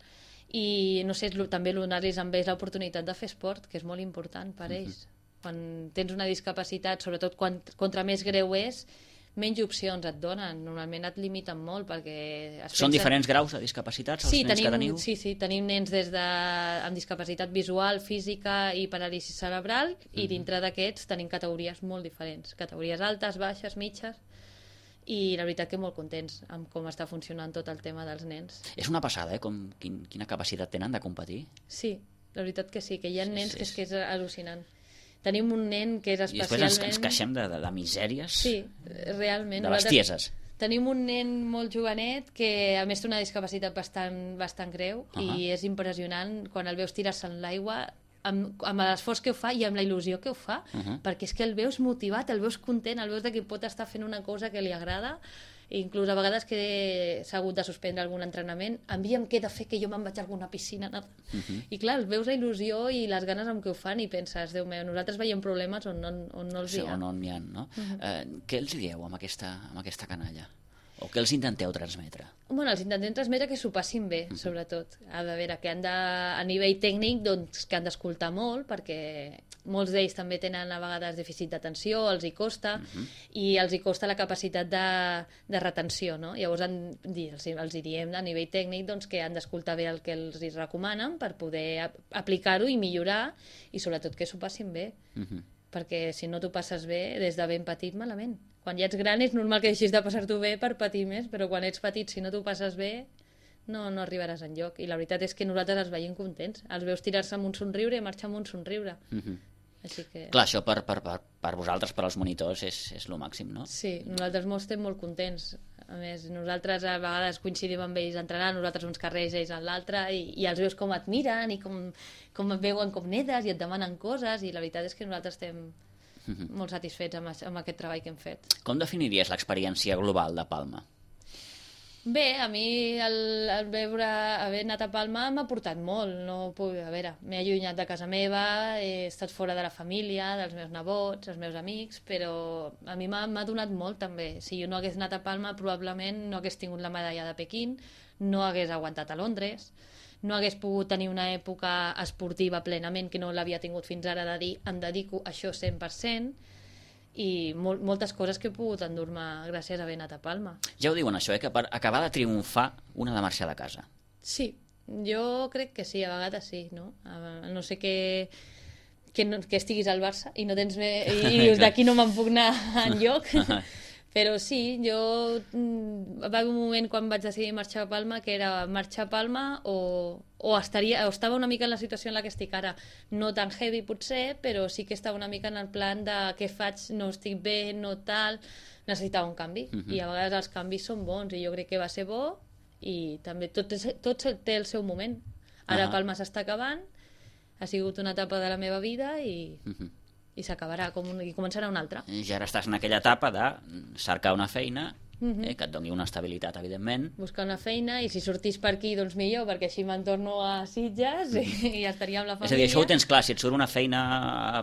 i no sé, també donar-los amb ells l'oportunitat de fer esport, que és molt important per ells. Uh-huh. Quan tens una discapacitat, sobretot quan, contra més greu és, menys opcions et donen, normalment et limiten molt perquè... Es Són pensen... diferents graus de discapacitats els sí, nens tenim, que teniu? Sí, sí, tenim nens des de, amb discapacitat visual, física i paràlisi cerebral, i dintre d'aquests tenim categories molt diferents, categories altes, baixes, mitges, i la veritat que molt contents amb com està funcionant tot el tema dels nens. És una passada, eh? Com, quin, quina capacitat tenen de competir. Sí, la veritat que sí, que hi ha nens Sí, que sí. és que és al·lucinant. Tenim un nen que és I després especialment... ens, ens queixem de, de, de misèries, Sí, realment. de Nosaltres bestieses. Tenim un nen molt jovenet que a més té una discapacitat bastant, bastant greu, Uh-huh. i és impressionant quan el veus tirar-se en l'aigua amb, amb l'esforç que ho fa i amb la il·lusió que ho fa, Uh-huh. perquè és que el veus motivat, el veus content, el veus de que pot estar fent una cosa que li agrada, i inclús a vegades que s'ha hagut de suspendre algun entrenament, envia'm què he de fer, que jo me'n vaig a alguna piscina. No? Uh-huh. I clar, el veus la il·lusió i les ganes amb què ho fan i penses, Déu meu, nosaltres veiem problemes on no, on no els Sí, hi ha. on no n'hi ha, no? Uh-huh. eh, què els dieu amb aquesta, amb aquesta canalla? O què els intenteu transmetre? Bueno, els intentem transmetre que s'ho passin bé, uh-huh. sobretot. A veure, que han de, a nivell tècnic, doncs, que han d'escoltar molt, perquè molts d'ells també tenen a vegades dèficit d'atenció, els hi costa, uh-huh. i els hi costa la capacitat de, de retenció, no? Llavors han, els, els hi diem a nivell tècnic doncs, que han d'escoltar bé el que els hi recomanen per poder ap aplicar-ho i millorar, i sobretot que s'ho passin bé. Uh-huh. Perquè si no t'ho passes bé, des de ben petit, malament. Quan ja ets gran és normal que deixis de passar-t'ho bé per patir més, però quan ets petit, si no t'ho passes bé, no, no arribaràs enlloc. I la veritat és que nosaltres els veiem contents. Els veus tirar-se amb un somriure i marxar amb un somriure. Uh-huh. Així que... Clar, això per, per, per, per vosaltres, per als monitors, és, és lo màxim, no? Sí, nosaltres molts estem molt contents. A més, nosaltres a vegades coincidim amb ells entrenant, nosaltres uns carrers, ells en l'altre, i, i els veus com et miren i com, com et veuen com nedes i et demanen coses, i la veritat és que nosaltres estem Uh-huh. molt satisfets amb, amb aquest treball que hem fet. Com definiries l'experiència global de Palma? Bé, a mi el, el veure, haver anat a Palma m'ha portat molt. No puc, a veure, m'he allunyat de casa meva, he estat fora de la família, dels meus nebots, els meus amics, però a mi m'ha donat molt també. Si jo no hagués anat a Palma, probablement no hagués tingut la medalla de Pequín, no hagués aguantat a Londres, no hagués pogut tenir una època esportiva plenament, que no l'havia tingut fins ara, de dir em dedico a això cent per cent, i mol moltes coses que he pogut endur-me gràcies a haver anat a Palma. Ja ho diuen això, eh? Que per acabar de triomfar una ha de marxar de casa. Sí, jo crec que sí, a vegades sí, no? A no sé que, que, no, que estiguis al Barça i no tens més, i dius d'aquí no me'n puc anar enlloc. Però sí, jo va haver un moment quan vaig decidir marxar a Palma que era marxar a Palma o, o, estaria, o estava una mica en la situació en la que estic ara, no tan heavy potser, però sí que estava una mica en el plan de què faig, no estic bé, no tal, necessitava un canvi. Uh-huh. I a vegades els canvis són bons i jo crec que va ser bo, i també tot, tot té el seu moment. Ara uh-huh. Palma s'està acabant, ha sigut una etapa de la meva vida i... Uh-huh. i s'acabarà, com un, i començarà una altra. Ja ara estàs en aquella etapa de cercar una feina, uh-huh. eh, que et doni una estabilitat, evidentment. Buscar una feina, i si sortís per aquí, doncs millor, perquè així me'n torno a Sitges i, i ja estaria amb la família. És a dir, això ho tens clar, si et surt una feina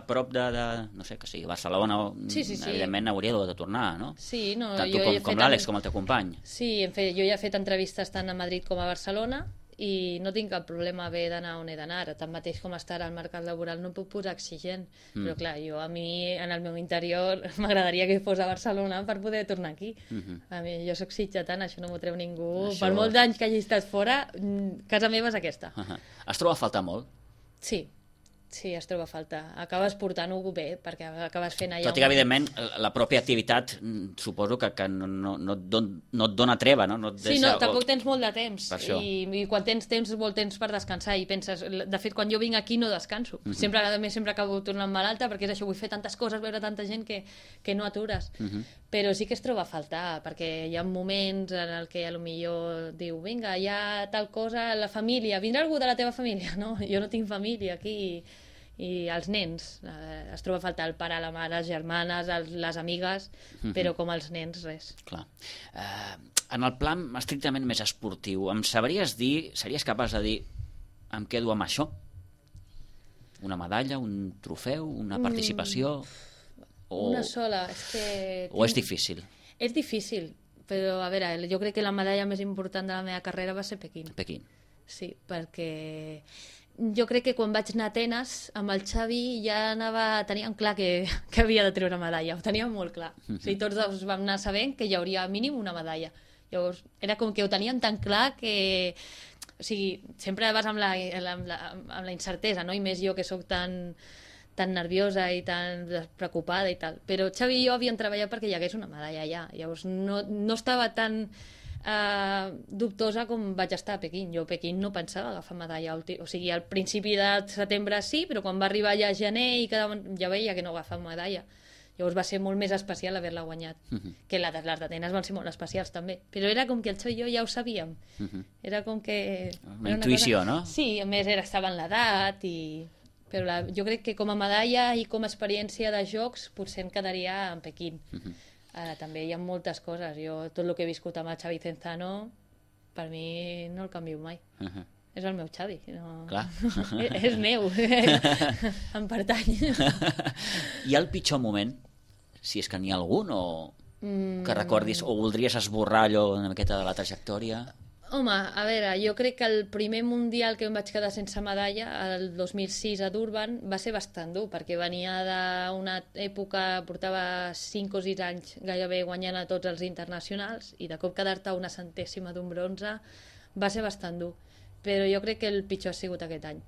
a prop de, de no sé, que sigui Barcelona, sí, sí, sí. evidentment hauria de tornar, no? Sí, no, tant jo tu com, he com l'Àlex, com el teu company. Sí, hem fet, jo ja he fet entrevistes tant a Madrid com a Barcelona, i no tinc cap problema haver d'anar on he d'anar. Tanmateix com està ara el mercat laboral no puc posar exigent, mm. però clar, jo a mi en el meu interior m'agradaria que fos a Barcelona per poder tornar aquí. Mm-hmm. A mi, jo soc sitgetana, això no m'ho treu ningú. Això... Per molts anys que hagi estat fora, casa meva és aquesta. Uh-huh. Has trobat a faltar molt? Sí, Sí, es troba a faltar. Acabes portant-ho bé, perquè acabes fent allà... Tot i que, evidentment, la pròpia activitat suposo que, que no, no, no, et don, no et dona treva, no? no et deixa, sí, no, o... tampoc tens molt de temps. I, I quan tens temps, molt temps per descansar. I penses... De fet, quan jo vinc aquí no descanso. Uh -huh. Sempre, a més, sempre acabo tornant malalta, perquè és això, vull fer tantes coses, veure tanta gent que, que no atures. Uh -huh. Però sí que es troba a faltar, perquè hi ha moments en el que potser diu, vinga, hi ha tal cosa, la família, vindrà algú de la teva família? No, jo no tinc família aquí... i els nens, eh, es troba a faltar el pare, la mare, les germanes, els, les amigues, mm-hmm. però com els nens, res. Clar. Uh, en el plan estrictament més esportiu, em sabries dir, series capaç de dir, em quedo amb això? Una medalla, un trofeu, una participació? Mm, o... Una sola, és que... O és difícil? És difícil, però a veure, jo crec que la medalla més important de la meva carrera va ser Pequín. Pequín. Sí, perquè... Jo crec que quan vaig anar a Atenes amb el Xavi ja anava, teníem clar que, que havia de treure medalla, ho teníem molt clar. Mm-hmm. O sigui, tots dos vam anar sabent que hi hauria mínim una medalla. Llavors, era com que ho teníem tan clar que... O sigui, sempre vas amb la, amb la, amb la incertesa, no? I més jo que sóc tan, tan nerviosa i tan preocupada i tal. Però Xavi i jo havíem treballat perquè hi hagués una medalla allà. Llavors, no, no estava tan... Uh, dubtosa com vaig estar a Pequín. Jo a Pequín no pensava agafar medalla, o sigui, al principi de setembre sí, però quan va arribar ja a gener i quedaven, ja veia que no agafava medalla. Llavors va ser molt més especial haver-la guanyat. Uh-huh. Que les d'Atenes van ser molt especials també, però era com que el Xavi i jo ja ho sabíem. Uh-huh. Era com que... Una intuïció, una cosa... no? Sí, a més era, estava en l'edat i... Però la, jo crec que com a medalla i com a experiència de jocs potser em quedaria en Pequín. Uh-huh. Ara, també hi ha moltes coses. Jo, tot el que he viscut amb el Xavi Cenzano, per mi no el canvio mai. Uh-huh. És el meu Xavi. No... Clar. és, és meu. Em pertany. Hi ha el pitjor moment? Si és que n'hi ha algun, o mm. que recordis, o voldries esborrar allò una miqueta de la trajectòria? Home, a veure, jo crec que el primer mundial que em vaig quedar sense medalla, el dos mil sis a Durban, va ser bastant dur, perquè venia d'una època, portava cinc o sis anys gairebé guanyant a tots els internacionals, i de cop quedar-te una centèsima d'un bronze va ser bastant dur. Però jo crec que el pitjor ha sigut aquest any.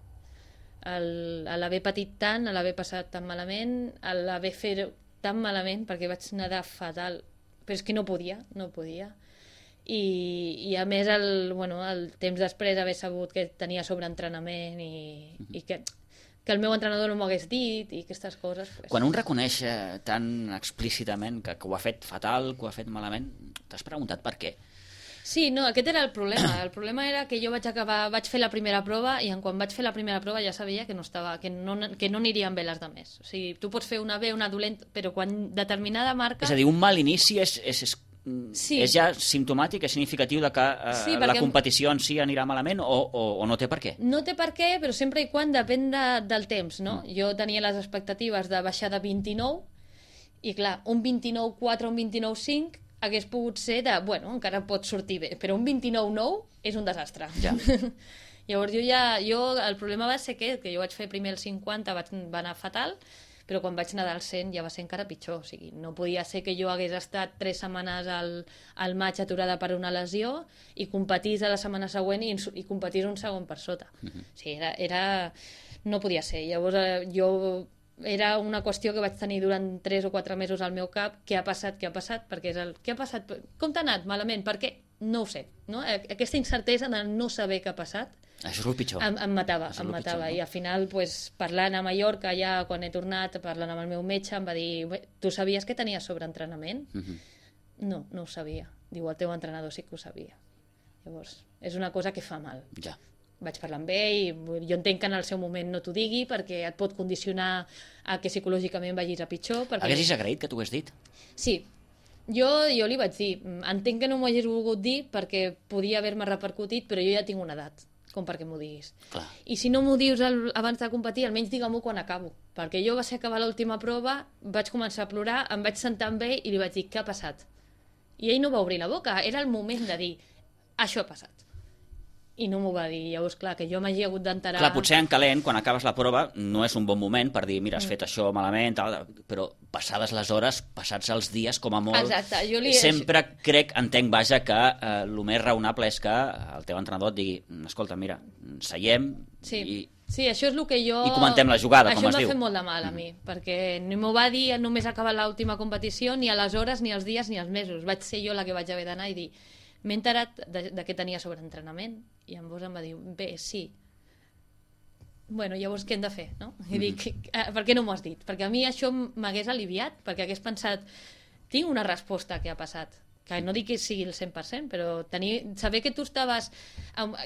El, a l'haver patit tant, a l'haver passat tan malament, a l'haver fet tan malament, perquè vaig nedar fatal, però és que no podia, no podia. I, i a més el, bueno, el temps després haver sabut que tenia sobreentrenament i, uh-huh. i que, que el meu entrenador no m'ho hagués dit i aquestes coses pues... Quan un reconeix eh, tan explícitament que, que ho ha fet fatal, que ho ha fet malament, t'has preguntat per què? Sí, no, aquest era el problema. El problema era que jo vaig acabar, vaig fer la primera prova i en quan vaig fer la primera prova ja sabia que no estava, que no, que no anirien bé les de més. O sigui, tu pots fer una bé, una dolenta, però quan determinada marca... És a dir, un mal inici és... és, és... Sí. És ja simptomàtic, és significatiu de que eh, sí, la competició en si anirà malament o, o, o no té per què? No té per què, però sempre i quan depèn de, del temps, no? Mm. Jo tenia les expectatives de baixar de vint-i-nou i clar, un vint-i-nou quatre o un vint-i-nou cinc hagués pogut ser de, bueno, encara pot sortir bé, però un vint-i-nou nou és un desastre. Ja. Llavors jo ja, jo, el problema va ser que, que jo vaig fer primer el cinquanta, vaig, va anar fatal, però quan vaig nedar al cent ja va ser encara pitjor. O sigui, no podia ser que jo hagués estat tres setmanes al, al maig aturada per una lesió i competís a la setmana següent i, i competís un segon per sota. Uh-huh. O sigui, era, era... no podia ser. Llavors eh, jo... Era una qüestió que vaig tenir durant tres o quatre mesos al meu cap. Què ha passat? Què ha passat? Perquè és el... Què ha passat? Com t'ha anat? Malament? Per què? No ho sé. No? Aquesta incertesa de no saber què ha passat això és el pitjor. Em, em matava, em matava. Pitjor, no? I al final, pues, parlant a Mallorca, ja quan he tornat, parlant amb el meu metge, em va dir, tu sabies que tenies sobreentrenament? Uh-huh. No, no ho sabia. Diu, el teu entrenador sí que ho sabia. Llavors, és una cosa que fa mal. Ja. Vaig parlar amb ell i jo entenc que en el seu moment no t'ho digui perquè et pot condicionar a que psicològicament vagis a pitjor. Perquè... Haguessis agraït que t'ho hagués dit? Sí. Jo, jo li vaig dir, entenc que no m'ho hagués volgut dir perquè podia haver-me repercutit, però jo ja tinc una edat com perquè m'ho diguis. Clar. I si no m'ho dius el, abans de competir, almenys digue-m'ho quan acabo. Perquè jo va ser acabar l'última prova, vaig començar a plorar, em vaig sentar amb ell i li vaig dir, què ha passat? I ell no va obrir la boca, era el moment de dir, això ha passat. I no m'ho va dir. Llavors, clar, que jo m'hagi hagut d'enterar... Clar, potser en calent, quan acabes la prova, no és un bon moment per dir, mira, has fet això malament, tal, però passades les hores, passats els dies, com a molt... Exacte, jo li... Sempre crec, entenc, vaja, que eh, el més raonable és que el teu entrenador et digui, escolta, mira, seiem sí. i Sí, això és el que jo... I comentem la jugada, com es diu. Això em va fer molt de mal a mi, mm. perquè ni m'ho va dir només acabar l'última competició, ni a les hores, ni als dies, ni als mesos. Vaig ser jo la que vaig haver d'anar i dir m'he enterat de, de què tenia sobreentrenament, i llavors em va dir, bé, sí. Bueno, llavors què hem de fer, no? I mm. dic, per què no m'ho has dit? Perquè a mi això m'hagués aliviat, perquè hagués pensat, tinc una resposta que ha passat, que no dic que sigui el cent per cent, però tenir, saber que tu estaves...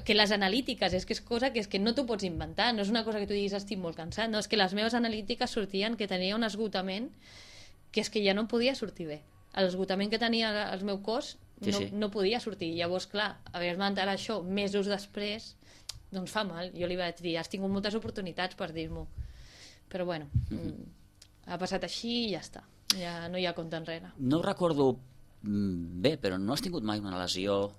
Que les analítiques és que és cosa que, és que no t'ho pots inventar, no és una cosa que tu diguis estic molt cansat, no, és que les meves analítiques sortien que tenia un esgotament que és que ja no podia sortir bé. L'esgotament que tenia el meu cos no, sí, sí. no podia sortir. Llavors, clar, haver-me enterat això mesos després, doncs fa mal. Jo li vaig dir, has tingut moltes oportunitats per dir-m'ho. Però bueno, mm-hmm. ha passat així i ja està. Ja no hi ha compte enrere. No recordo bé, però no has tingut mai una lesió?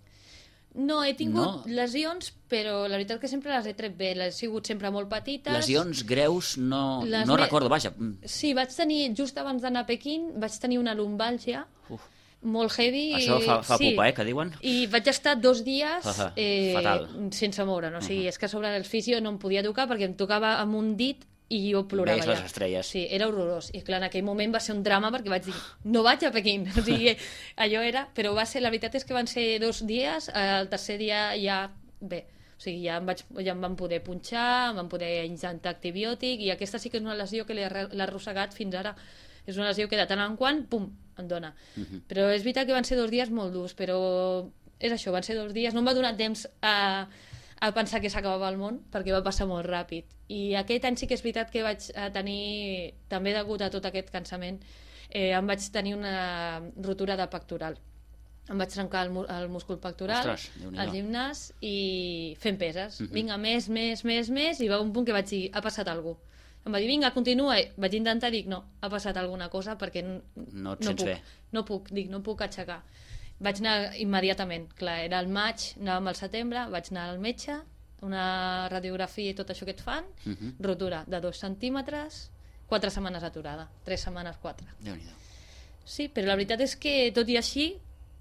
No, he tingut no. lesions, però la veritat que sempre les he tret bé. Les he sigut sempre molt petites. Lesions greus no, no me... recordo, vaja. Sí, vaig tenir, just abans d'anar a Pequín, vaig tenir una lumbàlgia Uf. molt heavy. Això fa, fa sí. pupa, eh, que diuen? I vaig estar dos dies uh -huh. eh, Fatal. sense moure. No? O sigui, uh -huh. és que sobre el fisio no em podia tocar perquè em tocava amb un dit i jo plorava ja. Veus les estrelles. Sí, era horrorós. I clar, en aquell moment va ser un drama perquè vaig dir, no vaig a Pequín. O sigui, allò era... Però va ser, la veritat és que van ser dos dies, el tercer dia ja... Bé, o sigui, ja em, vaig, ja em van poder punxar, em van poder injectar antibiòtic, i aquesta sí que és una lesió que l'he arrossegat fins ara. És una lesió que de tant en quant, pum, em dona. Uh -huh. Però és veritat que van ser dos dies molt durs, però és això, van ser dos dies. No em va donar temps a... a pensar que s'acabava el món, perquè va passar molt ràpid. I aquest any sí que és veritat que vaig tenir, també degut a tot aquest cansament, eh, em vaig tenir una rotura de pectoral. Em vaig trencar el, el múscul pectoral al gimnàs i fent peses. Uh-huh. Vinga, més, més, més, més, i va un punt que vaig dir, ha passat alguna cosa. Em va dir, vinga, continua. Vaig intentar, dic, no, ha passat alguna cosa perquè no, no et no sents puc, bé. No puc, dic, no puc aixecar. Vaig anar immediatament, clar, era el maig, anàvem al setembre, vaig anar al metge, una radiografia i tot això que et fan, uh-huh. rotura de dos centímetres, quatre setmanes aturada, tres setmanes, quatre. Déu-n'hi-do. Sí, però la veritat és que, tot i així,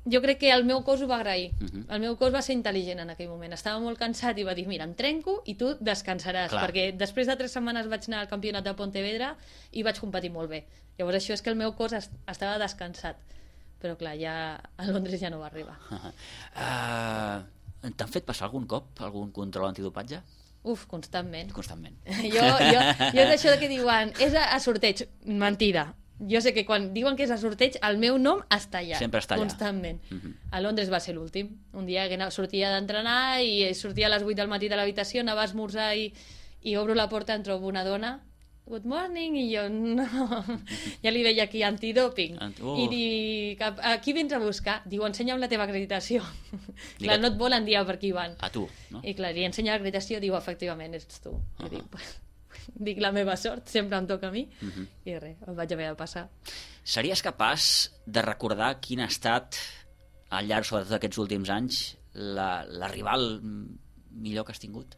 jo crec que el meu cos ho va agrair. Uh-huh. El meu cos va ser intel·ligent en aquell moment. Estava molt cansat i va dir, mira, em trenco i tu descansaràs, clar. Perquè després de tres setmanes vaig anar al campionat de Pontevedra i vaig competir molt bé. Llavors això és que el meu cos est- estava descansat. Però clar, ja a Londres ja no va arribar. Uh, T'han fet passar algun cop algun control antidopatge? Uf, constantment. Constantment. Jo, jo, jo és això que diuen, és a, a sorteig. Mentida. Jo sé que quan diuen que és a sorteig, el meu nom està allà. Sempre està allà. Constantment. Uh-huh. A Londres va ser l'últim. Un dia que sortia d'entrenar i sortia a les vuit del matí de l'habitació, anava a esmorzar i, i obro la porta, em trobo una dona, good morning, i jo, no, ja li veia aquí antidoping. Ant oh. I dic, a qui vens a buscar? Diu, ensenya'm la teva acreditació. Clar, no et volen dir per qui van. A tu, no? I clar, li ensenya l'acreditació, diu, efectivament, ets tu. Uh -huh. I dic, dic, la meva sort, sempre em toca a mi, uh -huh. i res, em vaig haver de passar. Series capaç de recordar quin ha estat, al llarg, sobretot d'aquests últims anys, la, la rival millor que has tingut?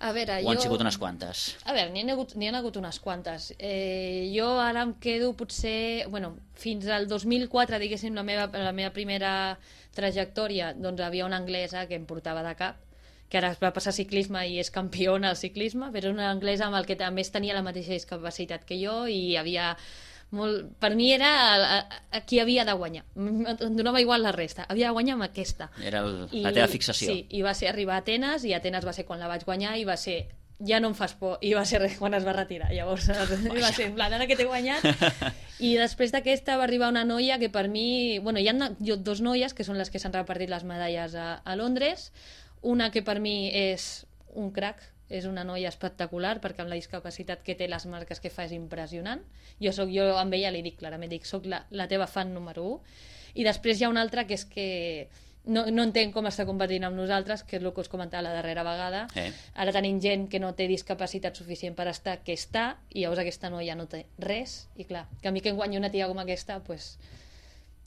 A veure, o jo... han sigut unes quantes? A veure, n'hi ha hagut, n'hi ha hagut unes quantes. Eh, jo ara em quedo potser... Bueno, fins al dos mil quatre, diguéssim, la meva, la meva primera trajectòria, doncs havia una anglesa que em portava de cap, que ara es va passar a ciclisme i és campiona al ciclisme, però una anglesa amb el que a més tenia la mateixa discapacitat que jo i havia... Molt... Per mi era a, a, a qui havia de guanyar. Em donava igual la resta. Havia de guanyar amb aquesta. Era el, I, la teva fixació. Sí, i va ser arribar a Atenes, i Atenes va ser quan la vaig guanyar, i va ser, ja no em fas por, i va ser quan es va retirar. Llavors va ser en plan, ara que t'he guanyat. I després d'aquesta va arribar una noia que per mi... Bueno, hi ha dos noies que són les que s'han repartit les medalles a, a Londres. Una que per mi és un crac, és una noia espectacular, perquè amb la discapacitat que té, les marques que fa és impressionant. Jo soc, jo amb ella li dic clarament, dic, soc la, la teva fan número u. I després hi ha una altra que és que no, no entenc com està competint amb nosaltres, que és el que us comentava la darrera vegada. Eh. Ara tenim gent que no té discapacitat suficient per estar, que està, i llavors aquesta noia no té res, i clar, que a mi que em guanyi una tia com aquesta, pues,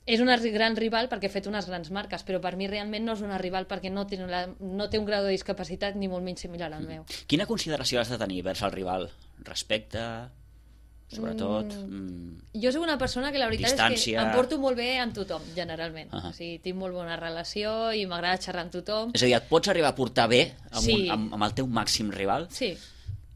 és una gran rival perquè ha fet unes grans marques, però per mi realment no és una rival perquè no té, la, no té un grau de discapacitat ni molt menys similar al meu. Quina consideració has de tenir vers el rival? Respecte? sobretot... Mm, jo soc una persona que la veritat distància... és que em porto molt bé amb tothom, generalment. Uh -huh. O sigui, tinc molt bona relació i m'agrada xerrar amb tothom. És a dir, et pots arribar a portar bé amb, Sí. un, amb, amb el teu màxim rival? Sí.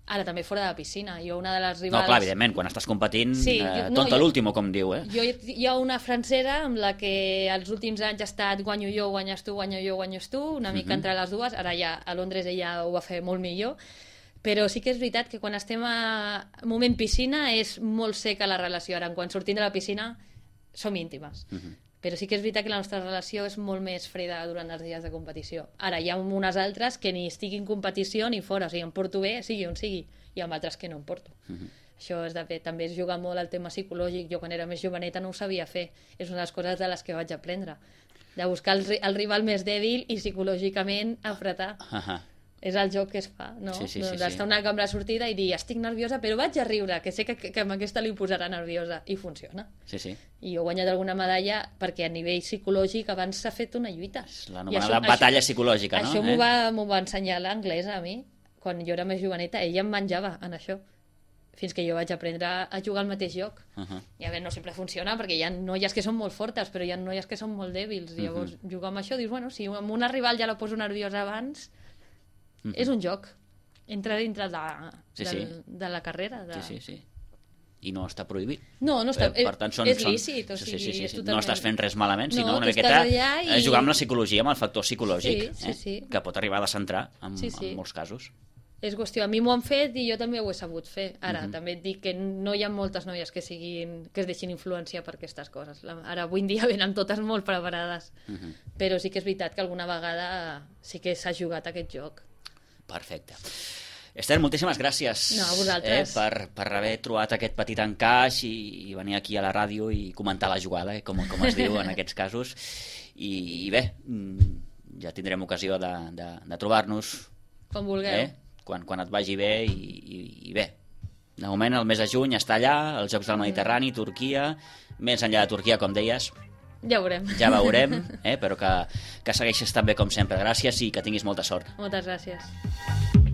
Ara també fora de la piscina. Jo una de les rivals... No, clar, evidentment, quan estàs competint, Sí, eh, jo- no, tonta jo- l'último, com diu, eh? Jo hi ha una francesa amb la que els últims anys ha estat guanyo jo, guanyes tu, guanyo jo, guanyes tu, una mica Mhm. entre les dues. Ara ja a Londres ella ho va fer molt millor. Però sí que és veritat que quan estem a moment piscina és molt seca la relació. Ara, quan sortim de la piscina som íntimes. Mhm. Però sí que és veritat que la nostra relació és molt més freda durant els dies de competició. Ara, hi ha unes altres que ni estic en competició ni fora. O sigui, em porto bé, sigui on sigui. I amb altres que no em porto. Mhm. Això és de bé. També es juga molt el tema psicològic. Jo quan era més joveneta no ho sabia fer. És una de les coses de les que vaig aprendre. De buscar el, ri- el rival més dèbil i psicològicament apretar. Ahà. És el joc que es fa, no? Sí, sí, sí, Doncs sí. estar una cambra sortida i dir estic nerviosa però vaig a riure, que sé que, que, que amb aquesta li posarà nerviosa. I funciona. Sí, sí. I jo he guanyat alguna medalla perquè a nivell psicològic abans s'ha fet una lluita. És la I anomenada això- batalla això- psicològica, no? Això Eh? m'ho va, m'ho va ensenyar l'anglesa a mi, quan jo era més joveneta. Ella em menjava en això, fins que jo vaig aprendre a jugar al mateix joc. Ahà. I a veure, no sempre funciona, perquè hi ha noies que són molt fortes, però hi ha noies que són molt dèbils. Llavors, jugar amb això, dius, bueno, si amb una rival ja la poso nerviosa abans, és un joc. Entra dintre de, Sí, del, sí. de la carrera. De... Sí, sí, sí. I no està prohibit. No, no està, Eh, per tant, són, és són... lícit, o sí, sigui, sí, sí, és sí. totalment... No estàs fent res malament, sinó No, una tu miqueta estàs allà i- eh, jugar amb la psicologia, amb el factor psicològic, Sí, sí, eh? sí. que pot arribar a descentrar en, Sí, sí. en molts casos. És qüestió, a mi m'ho han fet i jo també ho he sabut fer. Ara, Mhm. també et dic que no hi ha moltes noies que siguin que es deixin influenciar per aquestes coses. La, ara, avui en dia venen totes molt preparades. Mhm. Però sí que és veritat que alguna vegada sí que s'ha jugat aquest joc. Perfecte. Esther, moltíssimes gràcies No, a vosaltres. eh, per, per haver trobat aquest petit encaix i, i venir aquí a la ràdio i comentar la jugada, eh, com, com es diu en aquests casos. I, i bé, mm, ja tindrem ocasió de, de, de trobar-nos Com vulgueu. eh, quan, quan et vagi bé i, i, i bé. De moment, el mes de juny està allà, els Jocs del Mediterrani, Turquia, més enllà de Turquia, com deies, Ja ho veurem. ja veurem, eh, però que, que segueixes tan bé com sempre. Gràcies i que tinguis molta sort. Moltes gràcies.